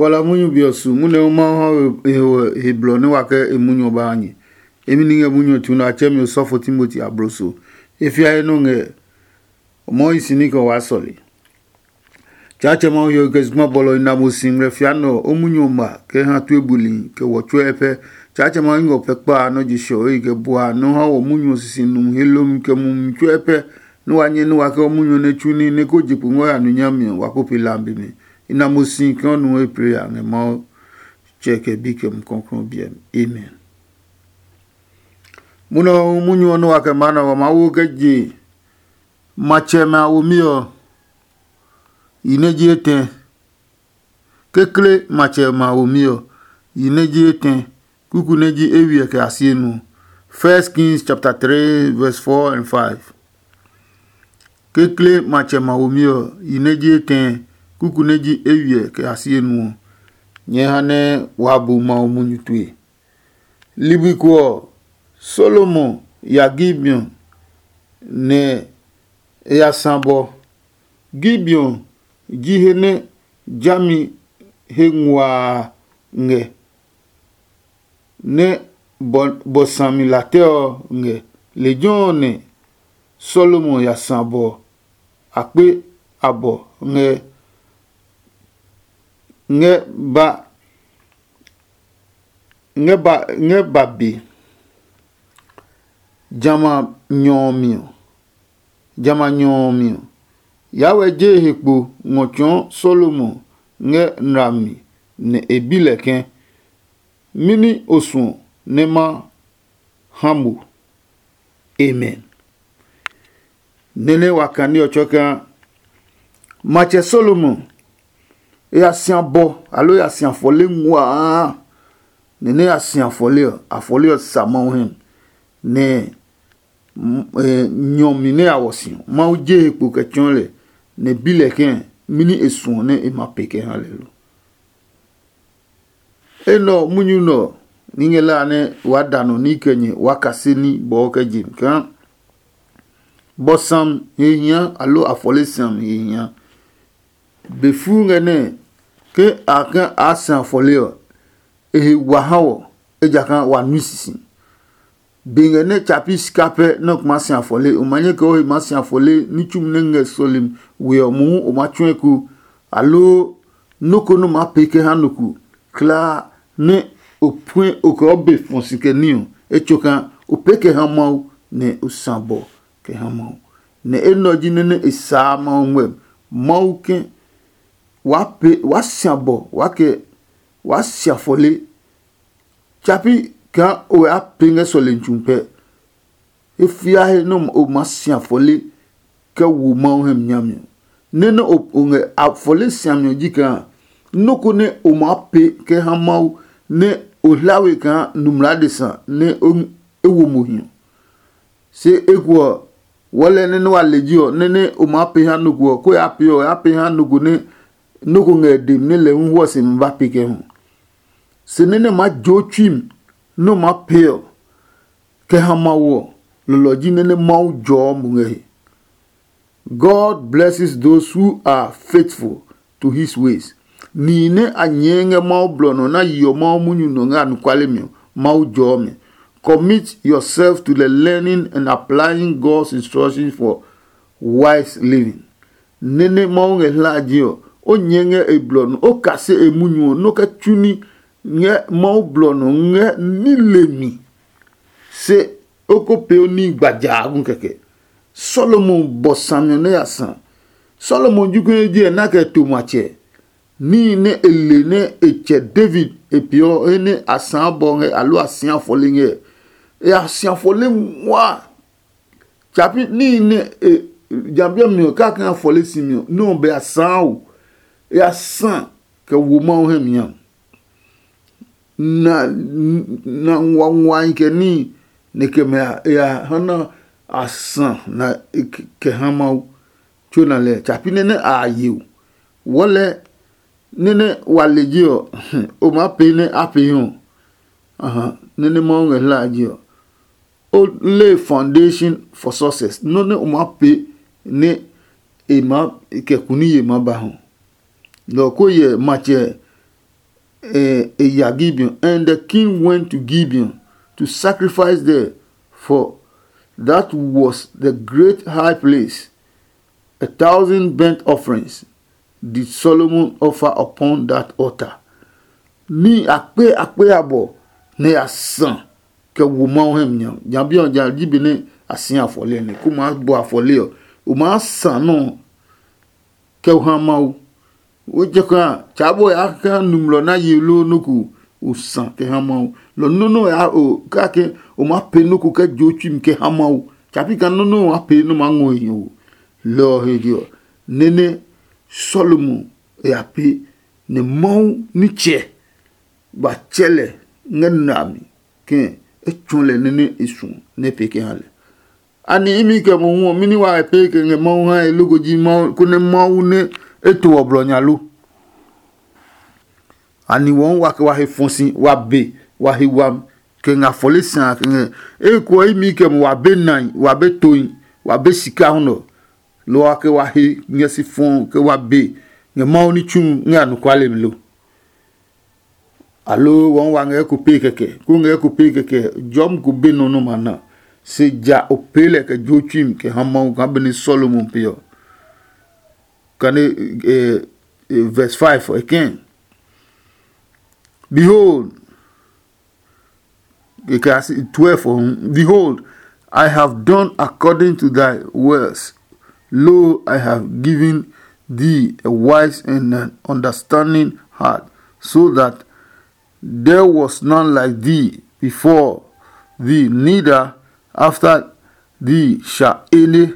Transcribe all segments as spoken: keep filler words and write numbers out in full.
Wala munyu be ɔ su munyu nɛ Mawu ha we he blɔ nɛ wa kɛ e munyu ɔ ba ha nyɛ. Emi ni ngɛ munyu ɔ tu nɛ a tsɛ mi osɔfo Timoti abloso. E fia he nɔ ngɛ o mɔɔ hi si ní kɛ waa sɔle. Tsaatsɛ Mawu hiɔwe kɛ zugba bɔlɔ i na mo si ngmlɛ fia nɛ ɔ, o munyu ɔ ma kɛ ha tue buli kɛ wɔ tsuɛ pɛ. Tsaatsɛ Mawu ngɔ pɛ kpa a nɔ je shɔ e kɛ bua nɔ ha wɔ munyu ɔ sisi nu he lomi kɛ mumi tsuɛ pɛ. Nɛ wa nyɛ nɛ wa kɛ o munyu ɔ nɛ tsu ní nɛ ko je kpo ngɔ ya nu nyami ɔ, wa ko pe lambi mi. I na mo si kɛ o nu he plee a ngɛ Mawu Tsɛ kɛ Bi kɛ Mumi Klɔuklɔu biɛ mi. Amen. Munɔ ɔ munyu ɔ nɛ wa kɛ maa nɛ ɔ, wa maa wo kɛ je matsɛmɛ a womi ɔ yi nɛ ji etɛ. Kekle matsɛmɛ a womi ɔ yi nɛ ji etɛ, kuku nɛ ji eywiɛ kɛ a sie nu ɔ. First Kings chapter three verse four and five. Kekle matsɛmɛ a womi ɔ yi nɛ ji etɛ, kuku nɛ ji eywiɛ kɛ a sie nu ɔ. Nyɛɛ ha nɛ waa bu Mawu munyu tue. Ligbi ko ɔ, Salomo ya Gibeon, nɛ e ya sã bɔ. Gibeon ji he nɛ jami he nguaa ngɛ, nɛ bɔ bɔ sami latɛ ɔ ngɛ. Lejɛ ɔ nɛ Salomo ya sã bɔ akpe abɔ ngɛ ngɛ ba ngɛ ba ngɛ ba be. Jamɛ a nyɔ ɔ mi ɔ, jamɛ a nyɔ ɔ mi ɔ, Yawɛ je he kpo ngɔ tsɔɔ Salomo ngɛ nlami, nɛ e bi lɛ ke, mɛni o suɔ nɛ ma ha mo? Amen. Nɛnɛ wa kani ɔ tsɔɔ kaa matsɛ Salomo e ya si abɔ alo e ya si afɔle nguaa. Nɛnɛ ya si afɔle ɔ, afɔle ɔ sa Mawu hɛ, nɛ nyɔmi nɛ ya wɔ si ɔ, Mawu je he kpo kɛ tsɔɔ lɛ, nɛ bi lɛ ke mɛni e suɔ nɛ e ma pe kɛ ha lɛ lo. Enɛ ɔ munyu nɛ ɔ ní ngɛ la nɛ waa da nɔ ní kɛ nyɛ waa kase ní bɔɔ kɛ je mi kaa bɔ sam he hia alo afɔle sam he hia. Be fuu ngɛ nɛ ke a ka a sã afɔle ɔ, e he wa ha wɔ, ejakaa wa nui sisi. Be ngɛ nɛ tsa pi sika pɛ nɛ o kuma si afɔle, o ma nyɛ kɛ o he maa si afɔle ní tsumi nɛ ngɛ sɔlemi we ɔ mohu o ma tsɔ̃ eko, aloo nɔ́ ko nɛ o maa pee kɛ ha nɔ ko kulaa nɛ o puɛ o kɛ o be fɔ si kɛ ní ɔ, etsokaa o pee kɛ ha Mawu, nɛ o sã bɔ kɛ ha Mawu. Nɛ enɛ ɔ ji nɛ nɛ e saa Mawu ngmɛmi. Mawu ke waa pee waa si abɔ waa kɛ waa si afɔle. Tsapi kaa o ya pee ngɛ sɔlemi tsu pɛ. E fia he nɛ o maa si afɔle kɛ wo Mawu hɛ mi nyami ɔ. Nɛ nɛ o ngɛ afɔle siami ɔ ji kaa nɔ́ ko nɛ o maa pee kɛ ha Mawu nɛ o hla we kaa nu mlaa adesa nɛ e wo mo hi ɔ. Se eko ɔ, wɔlɛ nɛ nɛ wa le ji ɔ, nɛ nɛ o maa pee ha nɔ ko ɔ, ko ya pee ɔ, ya pee ha nɔ ko nɛ nɔ́ ko ngɛ e demi nɛ lɛ hu hwɔ se mi ba pee kɛ hu. Se nɛ nɛ maa joo tsui mi nɛ o maa pee ɔ, kɛ ha Mawu ɔ, lɔlɔ ji nɛ nɛ Mawu jɔɔ mo ngɛ he. God blesses those who are faithful to his ways. Nihi nɛ a nyɛɛ ngɛ Mawu blɔ nɔ na yeɔ Mawu munyu nɔ ngɛ anɔkuale mi ɔ, Mawu jɔɔ mi. Commit yourself to the learning and applying God's instructions for wise living. Nɛ́ nɛ Mawu ngɛ hlaje ɔ, o nyɛɛ ngɛ e blɔ nɔ, o kase e munyu ɔ, nɔ́ kɛ tsu ní ngɛ Mawu blɔ nɔ ngɛ ní le mi. Se o ko pee o níhi gbaja gu kɛkɛ. Solomon bɔ sami ɔ nɛ ya sã. Solomon ji konɛ ji ɛ na kɛ to matsɛ. Níhi nɛ e le nɛ e tsɛ David e peeɔ he nɛ a sãa bɔ ngɛ aloo a sĩa fɔle ngɛ, e ya sia fɔle nguaa. Tsapi níhi nɛ e jambiɛ mi ɔ kaka ngɛ fɔle si mi ɔ, nɛ ɔ bɛ a sãa o. E ya sã kɛ wo Mawu hɛ mi a. Na na nguanguai kɛ níhi nɛ kɛ mɛ a ya ha na a sã na kɛ ha Mawu tso na lɛ. Tsapi nɛ nɛ a ye o. Wɔlɛ nɛ nɛ wa le je ɔ, o maa pee nɛ a pee ɔ. Aha, nɛ nɛ Mawu ngɛ hla a je ɔ. O lay foundation for success. Nɔ́ nɛ o maa pee nɛ e maa kɛ kuniye maa ba hɔ. Lɔ ko yɛ matsɛ eh, e ya Gibeon, and the king went to Gibeon to sacrifice there, for that was the great high place. A thousand burnt offerings did Solomon offer upon that altar. Ní akpe akpe abɔ nɛ ya sã kɛ wo Mawu hɛ mi nya. Nya bi ɔ ja ji be nɛ a si afɔle nɛ ko maa bɔ afɔle ɔ, o maa sã nɔ kɛ ha Mawu. Wo je kã tsa bo ya kã numlɔ na ye lo nɔ ko o sã kɛ ha Mawu. Lɔ nɔ nɔ ya o kake o ma pe nɔ ko kɛ jo tsui mi kɛ ha Mawu. Tsa pi ka nɔ nɔ wa pe nɔ ma ngɔ e o. Lɔ ɔ he je ɔ, nene Solomon ya pe nɛ Mawu nitsɛ ba tsɛ lɛ ngɛ na mi kɛ e tsɔ lɛ nene e suɔ nɛ e pee kɛ ha lɛ. Ani imi kɛ mohu ɔ, mɛni wa e pee kɛ ngɛ Mawu hae loko ji Mawu konɛ Mawu nɛ e to ɔ blɔ nya lo? Ani wɔɔ wa kɛ wa he fɔ si wa be wa he wami kɛ ngɛ afɔle si a kɛ ngɛ eko ɔ imi kɛ mo wa be nai wa be tohi wa be sika hu nɔ? Lɔ wa kɛ wa he ngɛ si fɔɔ kɛ wa be ngɛ Mawu ní tsu ngɛ anɔkuale mi lo? Aloo wɔɔ wa ngɛ eko pee kɛkɛ ko ngɛ eko pee kɛkɛ jɔmi ko be nɔ nɔ ma na? Se ja o pee lɛ kɛ jo tsui mi kɛ ha Mawu kaa benɛ Solomon pe ɔ. Kane eh, eh, verse five again. Behold, kɛ a si twelve ɔ hu. Behold, I have done according to thy words. Lo, I have given thee a wise and an understanding heart, so that there was none like thee before thee, neither after thee shall any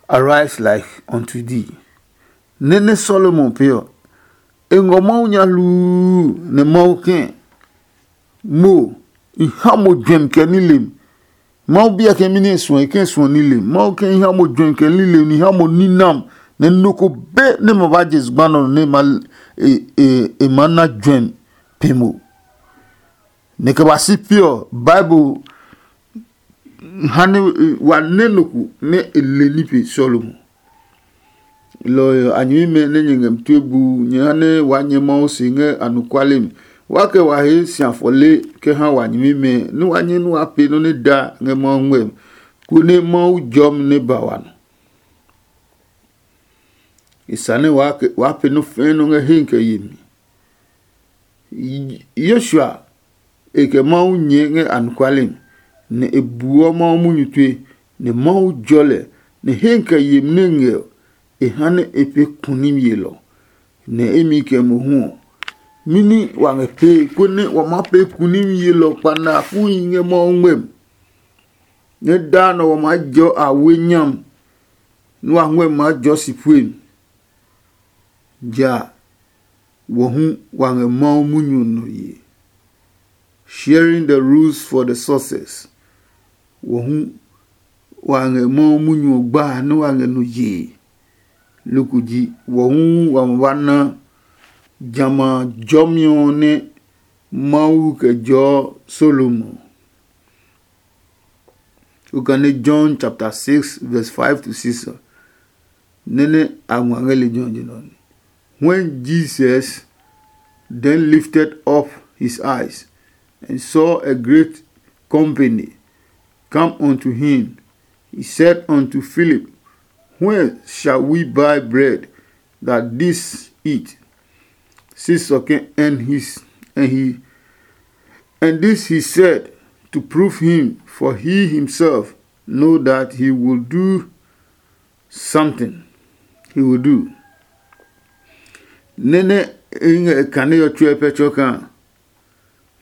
arise like unto thee. Nene Solomon pe ɔ, e ngɔ Mawu nya hluu nɛ Mawu kɛ̃ mo i ha mo juɛmi kɛ nilem. Mawu biɛ kɛ mi nɛ e suɔ e kɛ suɔ nilem. Mawu kɛ i ha mo juɛmi kɛ nilem ni ha mo ninam nɛ nɔ ko be nɛ ma ba je zugba nɔ nɛ e ma na juɛmi pe mo. Nɛ kɛ ba si pi ɔ, Bible ha nɛ wa nɛ nɔ ko nɛ e le ní pe Solomon. Lɔ ɔ a nyɛmimɛ nɛ nyɛ ngɛ mi tue bu nyɛ ha nɛ waa nyɛ Mawu se ngɛ anɔkuale mi. Wa kɛ wa he si afɔle kɛ ha wa nyɛmimɛ nɛ wa nyɛ nɛ wa pee nɔ́ nɛ da ngɛ Mawu ngmɛmi, konɛ Mawu jɔmi nɛ ba wa nɔ. E sa nɛ waa pee nɔ́ fɛɛ nɔ́ ngɛ hee kɛ yemi. Yoshua e kɛ Mawu nyɛɛ ngɛ anɔkuale mi, nɛ e buɔ Mawu munyu tue, nɛ Mawu jɔ lɛ, nɛ hee kɛ yemi nɛ ngɛ ɔ, e ha nɛ e pee kunimi yelɔ, nɛ imi kɛ mohu ɔ, mɛni wa ngɛ pee konɛ wa maa pee kunimi yelɔ kpanakuhi ngɛ Mawu ngmɛmi? Nɛ daa nɔ wa maa jɔ awe nyami, nɛ wa ngmɛmi maa jɔ si puemi. Ja wɔ hu wa ngɛ Mawu munyu ɔ nɔ ye. Sharing the rules for the success. Wɔ hu wa ngɛ Mawu munyu ɔ gba nɛ wa ngɛ nɔ yee. Loko ji wɔ hu wa ma ba na jamɛ a jɔmi ɔ nɛ Mawu kɛ jɔɔ Solomon. Okane John chapter six verse five to six. Nene a ngua ngɛ lejɛ ɔ je nɔ ni. When Jesus then lifted up his eyes and saw a great company come unto him, he said unto Philip, "Where shall we buy bread that this eat?" Six again, and his and he and this he said to prove him, for he himself know that he will do something. He will do. Nene e ngɛ e kane ɔ tsuɛ pɛ tsɔ kaa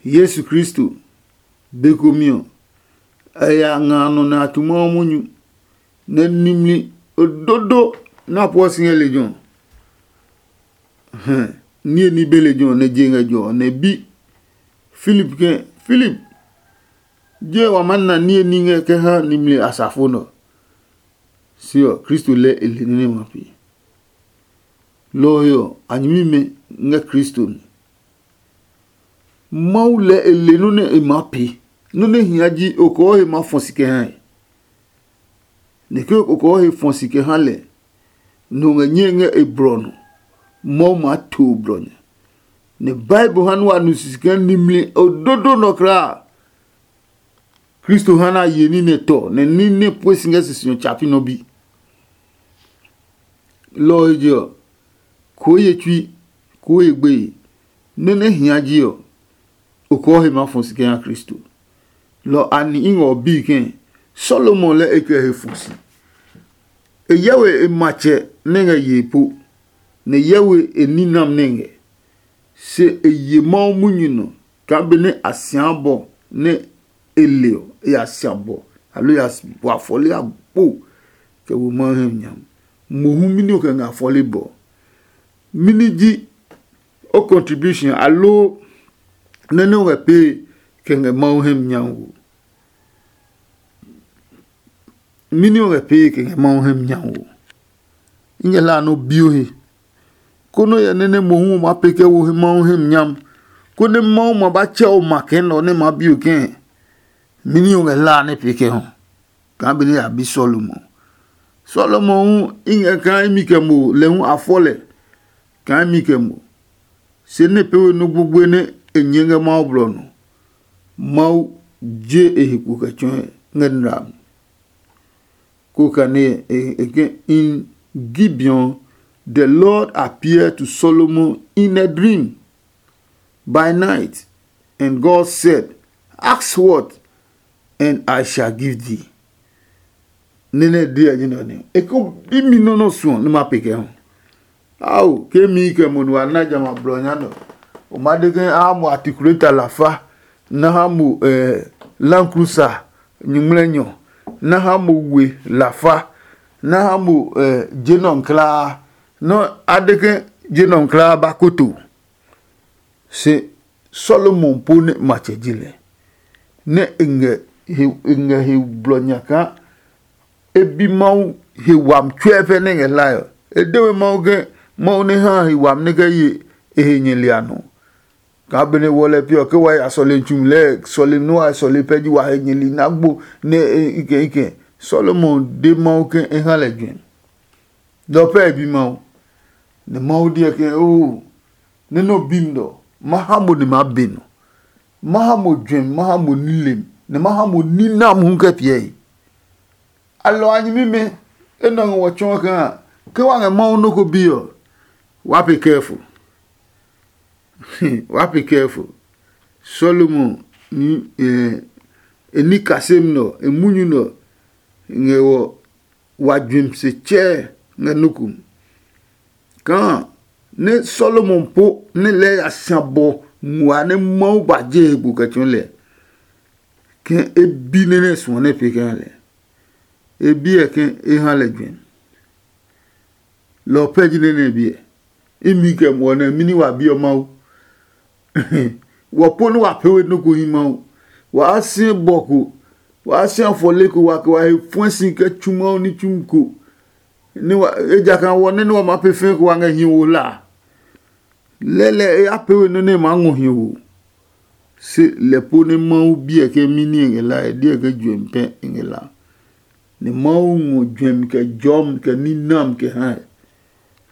Yesu Kristo be komi ɔ, e ya nga nɔ nɛ a tu Mawu munyu, nɛ nimli ododo nɛ a pueɔ si ngɛ lejɛ ɔ. Hɛ, niye ní be lejɛ ɔ nɛ je ngɛ jɔ ɔ nɛ bi Filip ke, Filip, je wa maa na niye ní ngɛ kɛ ha nimli asafo nɛ ɔ? Se ɔ, Kristo lɛɛ e le nɛ ma pee. Lɔ ɔ he ɔ, a nyɛmimɛ ngɛ Kristo mi. Mawu lɛɛ e le nɔ́ nɛ e maa pee. Nɔ́ nɛ hia ji okɔɔ he maa fɔ si kɛ ha ɛ. Nɛ ke okɔɔ he fɔ si kɛ ha lɛ, nɔ ngɛ nyɛe ngɛ e blɔ nɔ, Mawu maa to blɔ nya. Nɛ Bible ha nɛ wa nu sisi kaa nimli ododo nɔ kulaa. Kristo ha nɛ a ye ní nɛ tɔ, nɛ ní nɛ pue si ngɛ sisi ɔ tsapi nɔ bi. Lɔ ɔ he je ɔ, koo ye tsui, koo ye gbeye, nɔ́ nɛ hia ji ɔ, okɔɔ he maa fɔ si kɛ ha Kristo. Lɔ a ni i ngɛ ɔ bii kɛ̃, Solomon lɛ e kɛ he fɔ si. E hyɛ we e matsɛ nɛ ngɛ yee po, nɛ e hyɛ we e ninam nɛ ngɛ. Se e ye Mawu munyu nɔ kaa benɛ a sia bɔ nɛ e le ɔ, e ya sia bɔ, aloo e ya bɔ afɔle agbo kɛ wo Mawu hɛ nya. Mohu mɛni o kɛ ngɛ afɔle bɔ? Mɛni ji o contribution aloo nɛ nɛ o ngɛ pee kɛ ngɛ Mawu hɛ nya wo? Mɛni o ngɛ pee kɛ ngɛ Mawu hɛ nya wo? I ngɛ hlaa nɛ o bi o he, konɛ o hyɛ nɛ nɛ mohu o maa pee kɛ wo he Mawu hɛ mi nyam, konɛ Mawu ma ba tsɛ o ma kɛ nɛ ɔ nɛ maa bi o kɛɛ? Mɛni o ngɛ hlaa nɛ pee kɛ hɔ? Kaa benɛ a bi Solomon. Solomon hu i ngɛ kaa imi kɛ mo lɛ hu a fɔ lɛ kaa imi kɛ mo. Se nɛ pee we nɔ́ gbogboe nɛ e nyɛɛ ngɛ Mawu blɔ nɔ. Mawu je e he kpo kɛ tsɔɔe ngɛ nla mi. Ko kane e ke in Gibeon, the Lord appeared to Solomon in a dream by night, and God said, "Ask what, and I shall give thee." Nene dia ji nɔ ne. E ko imi no no suɔ ne ma pe kɛ ho. Ao, ke mi kɛ mo nu ana jama blɔ nya nɔ. O ma de ke a mo articulator lafa, na ha mo eh, Land Cruiser nyuŋmlɛnyɔ, na ha mo we lafa, na ha mo eh, je nɔ klaa. Nɔ a de ke je nɔ klaa ba koto. Se Solomon po nɛ matsɛ ji lɛ, nɛ e ngɛ he e ngɛ he blɔ nya kaa e bi Mawu he wami tsuɛ pɛ nɛ ngɛ hlae ɔ. E de we Mawu ke Mawu nɛ ha he wami nɛ kɛ ye e he nyɛli a nɔ. Kaa benɛ wɔ lɛ piɔ ke wa ya sɔlemi tsumi lɛɛ sɔlemi nɛ wa sɔle pɛ ji wa he nyɛli nɛ agbo nɛ e ikɛ ikɛ. Solomon de Mawu ke e ha lɛ juɛ. Lɔ pɛ e bi Mawu. Nɛ Mawu deɛ ke oo, nɛ nɔ bi mi nɔ, ma ha mo nɛ ma be nɔ. Ma ha mo juɛmi, ma ha mo nilem, nɛ ma ha mo ninam hu kɛ piɛe. Alɔ a nyɛmimɛ, enɛ ɔ ngɛ wɔ tsɔɔ kaa ke wa ngɛ Mawu nɔ́ ko bi ɔ, wa pe kɛɛfo. Wa pe kɛɛfo. Solomon e ní kasem nɔ, e munyu nɔ ngɛ wɔ wa juɛmi se tsɛɛ ngɛ nɔ́ ko mi. Kaa nɛ Solomon po nɛ lɛɛ ya sia bɔ ngua nɛ Mawu ba je he bu kɛ tsɔɔ lɛ, ke e bi nɛ nɛ suɔ nɛ pee kɛ ha lɛ. E bi ɛ ke e ha lɛ juɛmi. Lɔ ɔ pɛ ji nɛ nɛ e bi ɛ. Imi kɛ muɔ nɛ mini wa bi ɔ Mawu. Wɔ po nɛ wa pee we nɔ́ ko hi Mawu. Waa si bɔ ko, waa si afɔle ko wa kɛ wa he fuɛ si kɛ tsu Mawu ní tsumi ko. Ejakaa wɔ nɛ nɛ wa maa pee fɛɛ ko wa ngɛ hi wo hla a, lɛlɛ e ya pee we nɔ́ nɛ e maa ngɔ hi wo. Se lɛ po nɛ Mawu biɛ ke mini e ngɛ la e diɛ ke juɛmi pɛ e ngɛ la. Nɛ Mawu ngɔ juɛmi kɛ jɔmi kɛ ninam kɛ hae.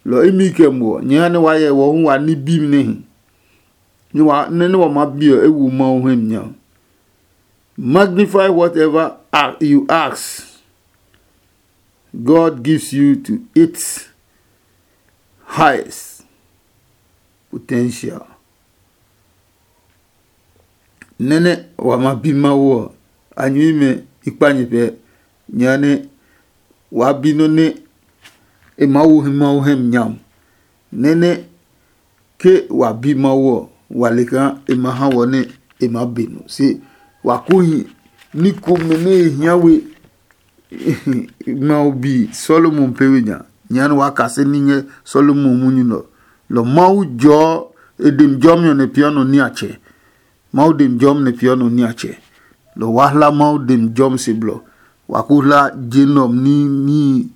Lɔ imi kɛ muɔ nyɛ ha nɛ wa hyɛ wɔ hu wa ní bimi nɛ hi. Nɛ wa nɛ nɛ wa maa bi ɔ e wo Mawu hɛ mi nya. Magnify whatever a- you ask. God gives you to its highest potential. Nɛnɛ wa ma bi Mawu ɔ, a nyuimɛ i kpa nyɛ pɛ, nyɛ nɛ wa bi nɔ́ nɛ e maa wo hi Mawu hɛ mi nyam. Nɛnɛ ke wa bi Mawu ɔ, wa le kaa e ma ha wɔ nɛ e maa be nɔ. Se wa ko hi ní komɛ nɛ e hia we Mawu bi Solomon pee we nya. Nyɛɛ nɛ waa kase ní ngɛ Solomon munyu nɛ ɔ. Lɔ Mawu jɔɔ e demi jɔmi ɔ nɛ peeɔ nɔ niatsɛ. Mawu demi jɔmi nɛ peeɔ nɔ niatsɛ. Lɔ waa hla Mawu demi jɔmi se blɔ. Wa ko hla je nɛ ɔ ní níhi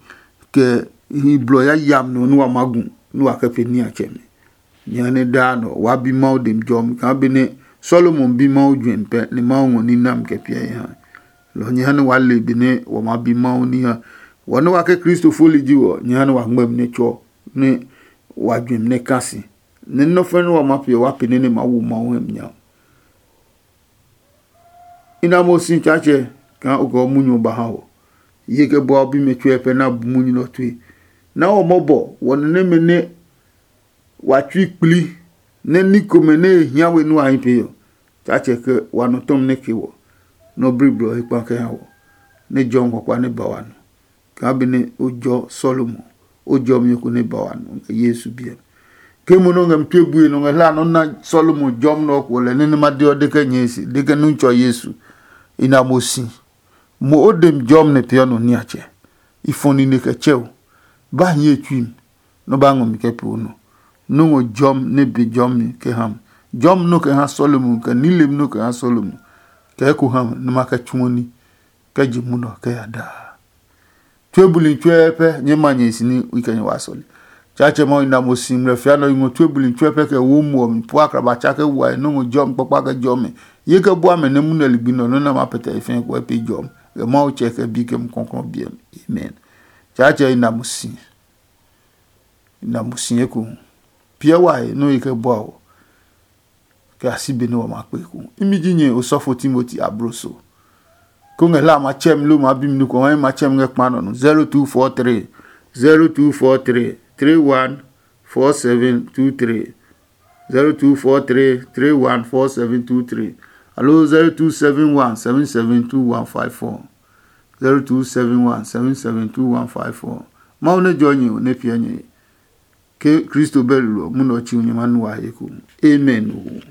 kɛ hi blɔ yayami nɔ nɛ wa maa gu nɛ wa kɛ pee niatsɛmɛ. Jehanɛ daa nɔ waa bi Mawu demi jɔmi kaa benɛ Solomon bi Mawu juɛmi pɛ nɛ Mawu ngɔ ní nami kɛ piɛ e ha. Lɔ ɔ jehanɛ waa le benɛ wa maa bi Mawu ní ha. Wɔ nɛ wa ke Kristo foli ji wɔ, jehanɛ wa ngmɛmi nɛ tsɔ nɛ wa juɛmi nɛ ka si. nɛ nɔ́ fɛ́ nɛ wa ma piɛ wa pee nɛ nɛ ma wo Mawu hɛ mi nya. I na mo si Tsaatsɛ kaa o kɛ o munyu ɔ ba ha wɔ. Ye kɛ bua o bimɛ tsuɛ pɛ na bu munyu nɛ ɔ tue. Na wɔ mɔbɔ wɔ nɛ nɛmɛ nɛ wa tsui kpli nɛ ní komɛ nɛ e hia we nua hi pee ɔ. Tsaatsɛ kɛ wa nɔ tɔmi nɛ ke wɔ nɔ bliblɔ he kpa kɛ ha wɔ, nɛ jɔmi kpakpa nɛ ba wa nɔ. Kaa benɛ o jɔ Salomo, o jɔmi ko nɛ ba wa nɔ ngɛ Yesu biɛ mi. Ke mo nɔ ngɛ mi tue bue nɔ ngɛ hla nɔ na Salomo jɔmi nɔ ko lɛ nɛ nɛ ma de ɔ de kɛ nyɛɛ se de kɛ nu tsɔ Yesu. I na mo si. Mo o dem jɔmi nɛ peeɔ nɔ niatsɛ. I fɔ nine kɛ tsɛ o. Ba hiɛ tsui mi, nɔ ba ngɔ mi kɛ pee o nɔ. Nɔ́ ngɔ jɔmi nɛ be jɔmi kɛ ha mi. Jɔmi nɔ kɛ ha Salomo kɛ nilem nɔ kɛ ha Salomo kɛ eko ha mi nɛ ma kɛ tsuɔ ní kɛ je munɔ kɛ ya daa. Tue buli tsuɛ pɛ nyɛ ma nyɛ si ní i kɛ nyɛ wa sɔle. Tsaatsɛ Mawu i na mo si ngmlɛ fia nɔ i ngɔ tue buli tsuɛ pɛ kɛ wo muɔ mi pua akraba tsa kɛ wa e nɔ́ ngɔ jɔmi kpakpa kɛ jɔmi. Ye kɛ bua mɛ nɛ munɛ ligbi nɔ nɔ́ nɛ ma pɛtɛ e fɛɛ kɛ pe jɔmi. Kɛ Mawu tsɛ kɛ bi kɛ mu kɔnkɔn biɛ mi. Amen. Tsaatsɛ i na mo si. I na mo si eko. Piɛ wa he nɔ́ ye kɛ bua o. Kɛ a si be nɛ wa ma kpe eko. Imi ji nyɛ osɔfo Timoti abloso. Ko ngɛ hla ma tsɛm lo ma bi mi nukɔ ma ma tsɛm ngɛ kpa nɔ no. Zero two four three, zero two four three, three one four seven two three. Zero two four three, three one four seven two three. Alo zero two seven one seven seven two one five four. Zero two seven one seven seven two one five four. Mawu ne jɔ nyɛ o ne piɛ nyɛ. Ke Kristo bɛ lulɔ munɔ tsi nyɛ ma nu wa he ko. Amen.